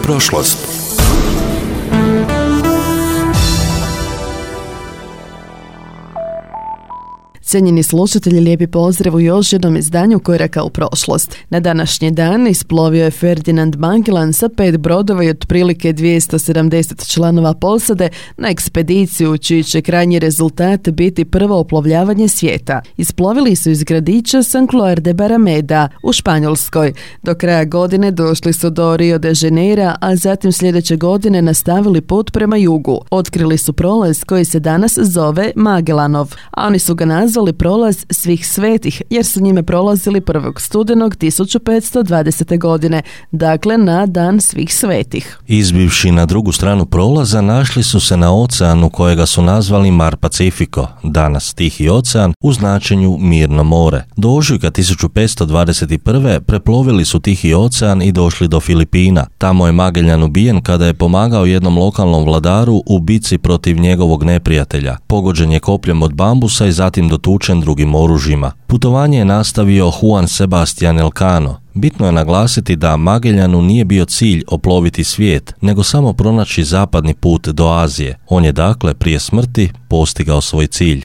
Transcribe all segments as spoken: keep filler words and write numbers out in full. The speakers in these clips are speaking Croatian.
prošlost. Cijenjeni slušatelji, lijepi pozdrav u još jednom izdanju Koraka u prošlost. Na današnji dan isplovio je Ferdinand Magellan sa pet brodova i otprilike dvjesto sedamdeset članova posade na ekspediciju čiji će krajnji rezultat biti prvo oplovljavanje svijeta. Isplovili su iz gradića San Cloar de Barrameda u Španjolskoj. Do kraja godine došli su do Rio de Janeira, a zatim sljedeće godine nastavili put prema jugu. Otkrili su prolaz koji se danas zove Magellanov, a oni su ga nazvali prolaz svih svetih, jer su njime prolazili prvog studenog tisuću petsto dvadesete godine, dakle na dan svih svetih. Izbivši na drugu stranu prolaza, našli su se na oceanu kojega su nazvali Mar Pacifico, danas Tihi ocean, u značenju Mirno more. Do ožujka tisuću petsto dvadeset prve. preplovili su Tihi ocean i došli do Filipina. Tamo je Magellan ubijen kada je pomagao jednom lokalnom vladaru u bici protiv njegovog neprijatelja. Pogođen je kopljem od bambusa i zatim dotučen drugim oružjima. Putovanje je nastavio Juan Sebastián Elcano. Bitno je naglasiti da Magellanu nije bio cilj oploviti svijet, nego samo pronaći zapadni put do Azije. On je dakle prije smrti postigao svoj cilj.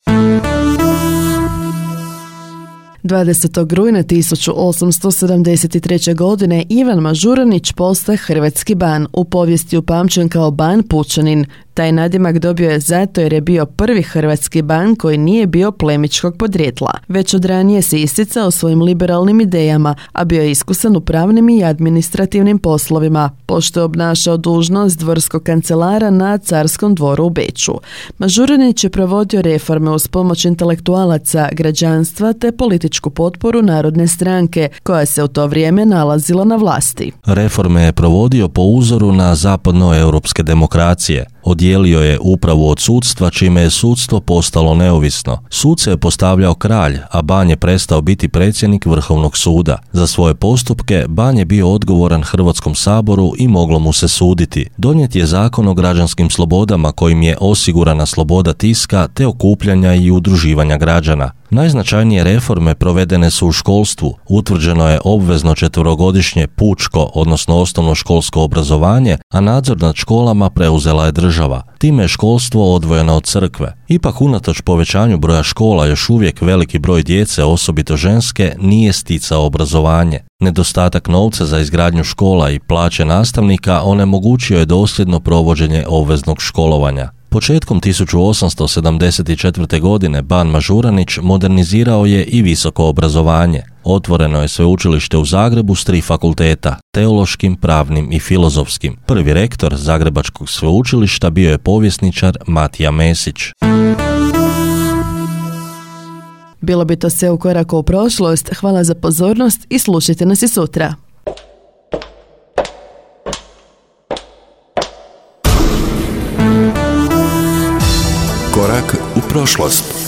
dvadesetog rujna tisuću osamsto sedamdeset treće. godine Ivan Mažuranić postaje hrvatski ban, u povijesti upamćen kao ban Pučanin. Taj nadimak dobio je zato jer je bio prvi hrvatski ban koji nije bio plemičkog podrijetla. Već od ranije se isticao svojim liberalnim idejama, a bio je iskusan u pravnim i administrativnim poslovima, pošto je obnašao dužnost dvorskog kancelara na carskom dvoru u Beču. Mažuranić je provodio reforme uz pomoć intelektualaca, građanstva te političku potporu Narodne stranke, koja se u to vrijeme nalazila na vlasti. Reforme je provodio po uzoru na zapadnoeuropske demokracije. Odijelio je upravu od sudstva, čime je sudstvo postalo neovisno. Suce je postavljao kralj, a ban je prestao biti predsjednik Vrhovnog suda. Za svoje postupke ban je bio odgovoran Hrvatskom saboru i moglo mu se suditi. Donijet je zakon o građanskim slobodama kojim je osigurana sloboda tiska te okupljanja i udruživanja građana. Najznačajnije reforme provedene su u školstvu. Utvrđeno je obvezno četverogodišnje pučko, odnosno osnovnoškolsko obrazovanje, a nadzor nad školama preuzela je država. Time je školstvo odvojeno od crkve. Ipak unatoč povećanju broja škola još uvijek veliki broj djece, osobito ženske, nije sticao obrazovanje. Nedostatak novca za izgradnju škola i plaće nastavnika onemogućio je dosljedno provođenje obveznog školovanja. Početkom tisuću osamsto sedamdeset četvrte. godine ban Mažuranić modernizirao je i visoko obrazovanje. Otvoreno je sveučilište u Zagrebu s tri fakulteta, teološkim, pravnim i filozofskim. Prvi rektor Zagrebačkog sveučilišta bio je povjesničar Matija Mesić. Bilo bi to sve u Koraku u prošlost. Hvala za pozornost i slušajte nas i sutra. Korak u prošlost.